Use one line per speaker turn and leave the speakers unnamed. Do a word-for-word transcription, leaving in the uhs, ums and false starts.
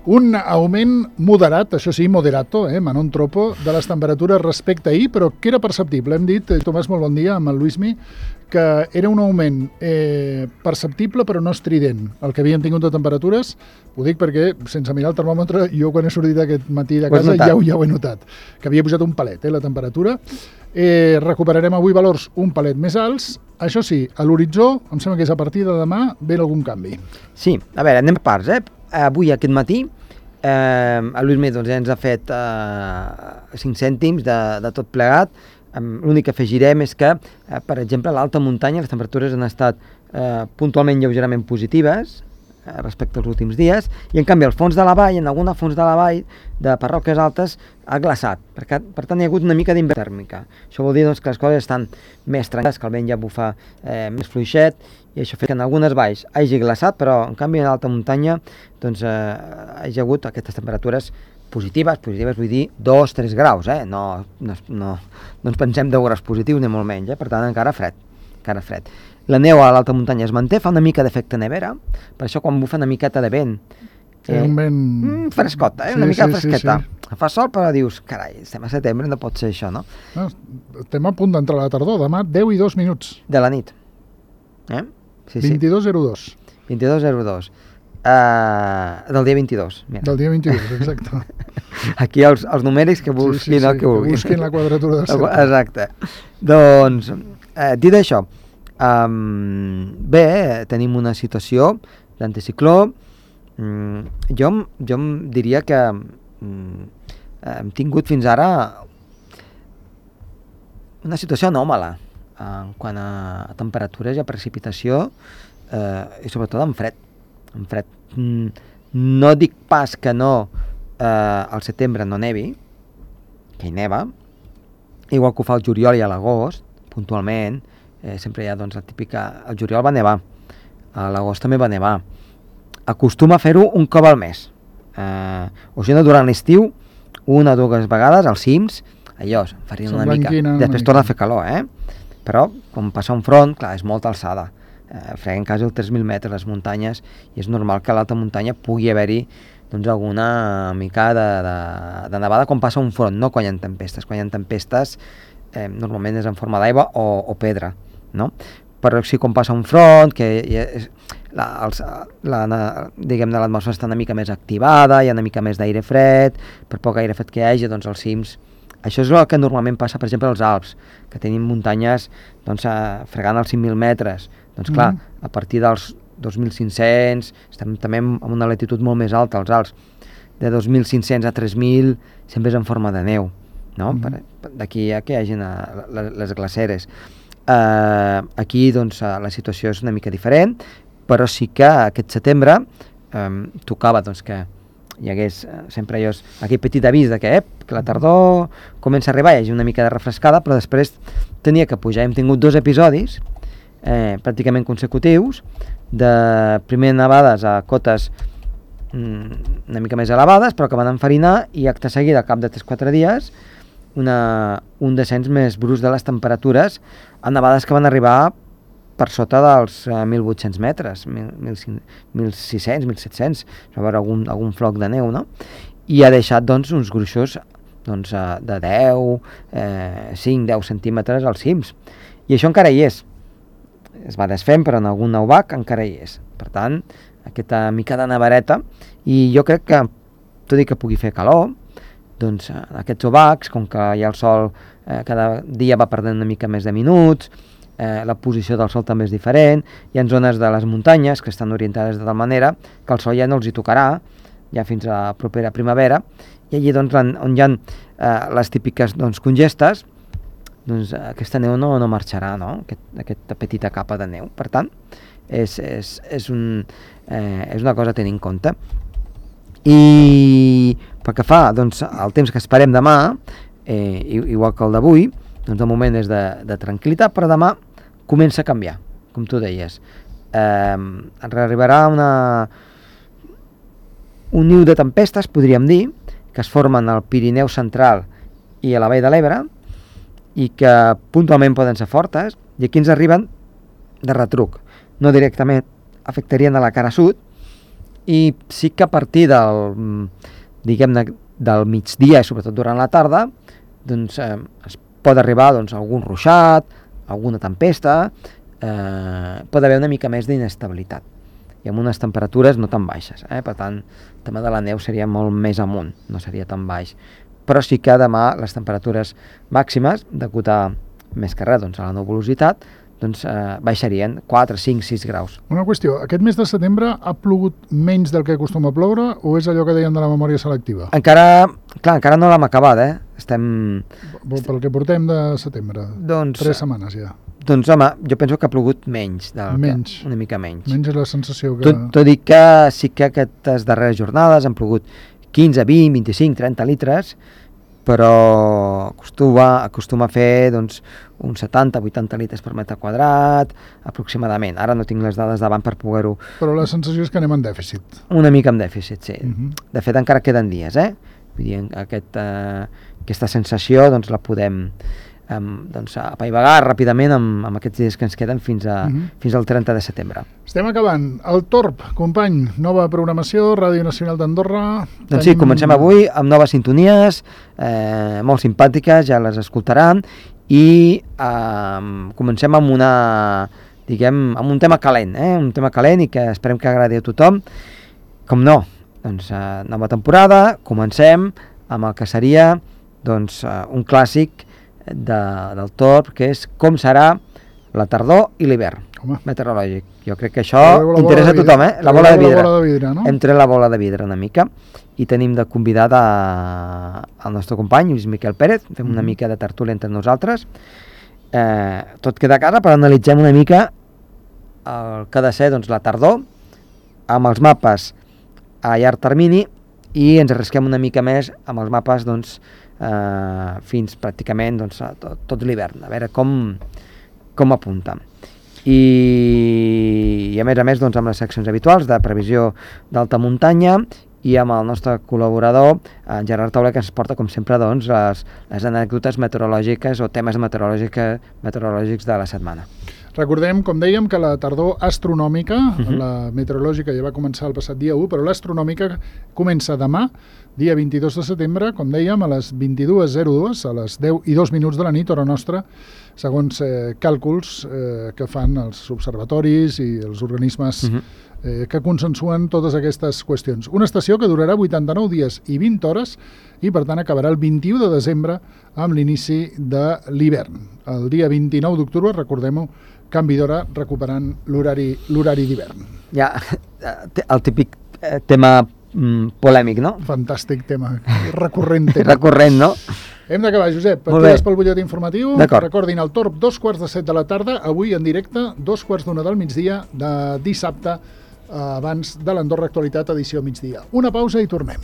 Un augment moderat, això sí, moderato, eh, ma non troppo, de les temperatures respecte a ahir, però que era perceptible. Hem dit, Tomàs, molt bon dia, amb el Luismi, que era un augment eh, perceptible però no estrident. El que havíem tingut de temperatures, ho dic perquè, sense mirar el termòmetre, jo quan he sortit aquest matí de casa ja ho, ja ho he notat, que havia posat un palet, eh, la temperatura. Eh, recuperarem avui valors un palet més alts. Això sí, a l'horitzó, em sembla que és a partir de demà, ve algun canvi.
Sí, a veure, anem per parts, eh? Avui, aquest matí, eh, el Luismi doncs, ja ens ha fet eh, cinc cèntims de, de tot plegat. L'únic que afegirem és que, eh, per exemple, a l'alta muntanya les temperatures han estat eh, puntualment lleugerament positives eh, respecte als últims dies, i en canvi al fons de la vall, en alguna fons de la vall de parròquies altes, ha glaçat. Per, per tant, hi ha hagut una mica d'inversió tèrmica. Això vol dir doncs, que les coses estan més tranquil·les, que el vent ja bufa eh, més fluixet, i això fa que en algunes valls hagi glaçat, però en canvi en l'alta muntanya doncs, eh, hi ha hagut aquestes temperatures positives, positives vull dir dos tres graus, eh? no, no, no, no ens pensem deu graus positius ni molt menys, eh? Per tant encara fred, encara fred. La neu a l'alta muntanya es manté, fa una mica d'efecte nevera, per això quan bufa una miqueta de vent,
eh, un vent...
Mm, frescota, eh? una
sí,
mica
sí,
fresqueta,
sí, sí.
Fa sol però dius, carai, estem a setembre, no pot ser això, no?
no estem a punt d'entrar a la tardor, demà deu i dos minuts.
De la nit. Eh? Sí,
vint-i-dos zero dos.
vint-i-dos zero dos. Uh, del dia vint-i-dos. Mira.
Del dia vint-i-dos, exacte.
Aquí els, els numèrics que busquin sí, sí, sí,
el
que vulguin.
Que busquin la quadratura del cercle.
Exacte. Doncs, eh, dit això, um, bé, tenim una situació d'anticicló. Mm, jo, jo em diria que mm, hem tingut fins ara una situació anòmala en quant a temperatures i a precipitació, eh, i sobretot en fred. En fred. Mm, no dic pas que no eh, al setembre no nevi, que hi neva, igual que ho fa el juliol i a l'agost, puntualment, eh, sempre hi ha doncs, la típica... El juliol va nevar, a l'agost també va nevar. Acostuma a fer-ho un cop al mes. Eh, o si no, durant l'estiu, una o dues vegades, als cims, allò, farien una mica. Després torna a fer calor, eh? Però, quan passa un front, clar, és molta alçada. Eh, freguen quasi els tres mil metres les muntanyes, i és normal que a l'alta muntanya pugui haver-hi doncs, alguna mica de, de, de nevada quan passa un front, no quan hi ha tempestes. Quan hi ha tempestes, eh, normalment és en forma d'aigua o, o pedra, no? Però sí, quan passa un front, que és, la, els, la, diguem-ne, l'atmosfera està una mica més activada, hi ha una mica més d'aire fred, per poc aire fred que hi hagi, doncs els cims. Això és el que normalment passa, per exemple, als Alps, que tenim muntanyes doncs, fregant els cinc mil metres. Doncs clar, mm. a partir dels dos mil cinc-cents, estem també en una latitud molt més alta, als Alps. De dos mil cinc-cents a tres mil sempre és en forma de neu, no? Mm. D'aquí a que hi hagi les glaceres. Uh, aquí doncs, la situació és una mica diferent, però sí que aquest setembre um, tocava doncs, que hi hagués sempre allò, aquell petit avís de que, eh, que la tardor comença a arribar, hi hagi una mica de refrescada, però després tenia que pujar. Hem tingut dos episodis eh, pràcticament consecutius de primer nevades a cotes mm, una mica més elevades, però que van enfarinar, i acte seguida, al cap de tres o quatre dies, una, un descens més brusc de les temperatures a nevades que van arribar per sota dels uh, mil vuit-cents metres, mil sis-cents, mil set-cents, va haver algun, algun floc de neu, no? I ha deixat doncs, uns gruixos doncs, uh, de deu, eh, cinc deu centímetres als cims. I això encara hi és. Es va desfent, però en algun neubac encara hi és. Per tant, aquesta mica de nevareta, i jo crec que, tot i que pugui fer calor, doncs uh, aquests obacs, com que hi ha el sol eh, cada dia va perdent una mica més de minuts, Eh, la posició del sol també és diferent, hi ha zones de les muntanyes que estan orientades de tal manera que el sol ja no els hi tocarà, ja fins a la propera primavera, i allí doncs, on hi ha eh, les típiques doncs, congestes, doncs aquesta neu no, no marxarà, no? Aquest, aquesta petita capa de neu. Per tant, és, és, és, un, eh, és una cosa a tenir en compte. I pel que fa doncs, al temps que esperem demà, eh, igual que el d'avui, doncs de moment és de, de tranquil·litat, però demà comença a canviar, com tu deies. Eh, arribarà una, un niu de tempestes, podríem dir, que es formen al Pirineu central i a la Vall de l'Ebre, i que puntualment poden ser fortes, i aquí ens arriben de retruc. No directament afectarien a la cara sud, i sí que a partir del, diguem-ne, del migdia, sobretot durant la tarda, doncs eh, es pot arribar doncs, a algun ruixat, alguna tempesta, eh, pot haver una mica més d'inestabilitat i amb unes temperatures no tan baixes, eh? Per tant, el tema de la neu seria molt més amunt, no seria tan baix, però sí que demà les temperatures màximes, degut a més que res doncs, a la nuvolositat, doncs eh, baixarien quatre, cinc, sis graus.
Una qüestió, aquest mes de setembre ha plogut menys del que acostuma a ploure o és allò que deien de la memòria selectiva?
Encara, clar, encara no l'hem acabat, eh? Estem...
Pel que portem de setembre,
doncs,
tres setmanes ja.
Doncs home, jo penso que ha plogut menys, del
menys.
Que, una mica menys.
Menys és la sensació que...
Tot, tot i que sí que aquestes darreres jornades han plogut quinze, vint, vint-i-cinc, trenta litres, però acostuma, acostuma a fer doncs, uns setanta, vuitanta litres per metre quadrat, aproximadament. Ara no tinc les dades davant per poder-ho...
Però la sensació és que anem en dèficit.
Una mica en dèficit, sí.
Uh -huh.
De fet, encara queden dies, eh? Vull dir, aquest, eh, aquesta sensació doncs, la podem um, doncs, apaivagar ràpidament amb, amb aquests dies que ens queden fins, a, uh -huh. fins al trenta de setembre.
Estem acabant. El Torb, company, nova programació, Ràdio Nacional d'Andorra.
Doncs sí, comencem avui amb noves sintonies, eh, molt simpàtiques, ja les escoltaran, i eh, comencem amb una, diguem, amb un tema calent, eh? un tema calent i que esperem que agradi a tothom. Com no, doncs eh, nova temporada, comencem amb el que seria doncs, eh, un clàssic de, del Torb, que és com serà la tardor i l'hivern meteorològic. Jo crec que això interessa a tothom, eh? La bola de vidre.
La bola de vidre, no?
Hem tret la bola de vidre una mica i tenim de convidat a, al nostre company, Lluís Miquel Pérez, fem una mica de tertúlia entre nosaltres. Eh, tot queda a casa, però analitzem una mica el que ha de ser doncs, la tardor, amb els mapes a llarg termini, i ens arrisquem una mica més amb els mapes doncs, eh, fins pràcticament doncs, a tot, tot l'hivern, a veure com, com apunta. I, i a més a més doncs, amb les seccions habituals de previsió d'alta muntanya i amb el nostre col·laborador, en Gerard Taula, que ens porta com sempre doncs, les, les anècdotes meteorològiques o temes meteorològics de la setmana.
Recordem, com dèiem, que la tardor astronòmica, uh-huh. la meteorològica ja va començar el passat dia u, però l'astronòmica comença demà, dia vint-i-dos de setembre, com dèiem, a les vint-i-dues zero dos, a les deu i dos minuts de la nit, hora nostra, segons eh, càlculs eh, que fan els observatoris i els organismes uh-huh. eh, que consensuen totes aquestes qüestions. Una estació que durarà vuitanta-nou dies i vint hores i, per tant, acabarà el vint-i-u de desembre amb l'inici de l'hivern. El dia vint-i-nou d'octubre, recordem-ho, canvi d'hora, recuperant l'horari l'horari d'hivern.
Ja, el típic tema mm, polèmic, no?
Fantàstic tema, recurrent tema.
Recurrent, no?
Hem d'acabar, Josep. Et quedes pel butlletí informatiu.
D'acord.
Recordin, el Torb, dos quarts de set de la tarda, avui en directe, dos quarts d'una del migdia, de dissabte, abans de l'Andorra Actualitat, edició migdia. Una pausa i tornem.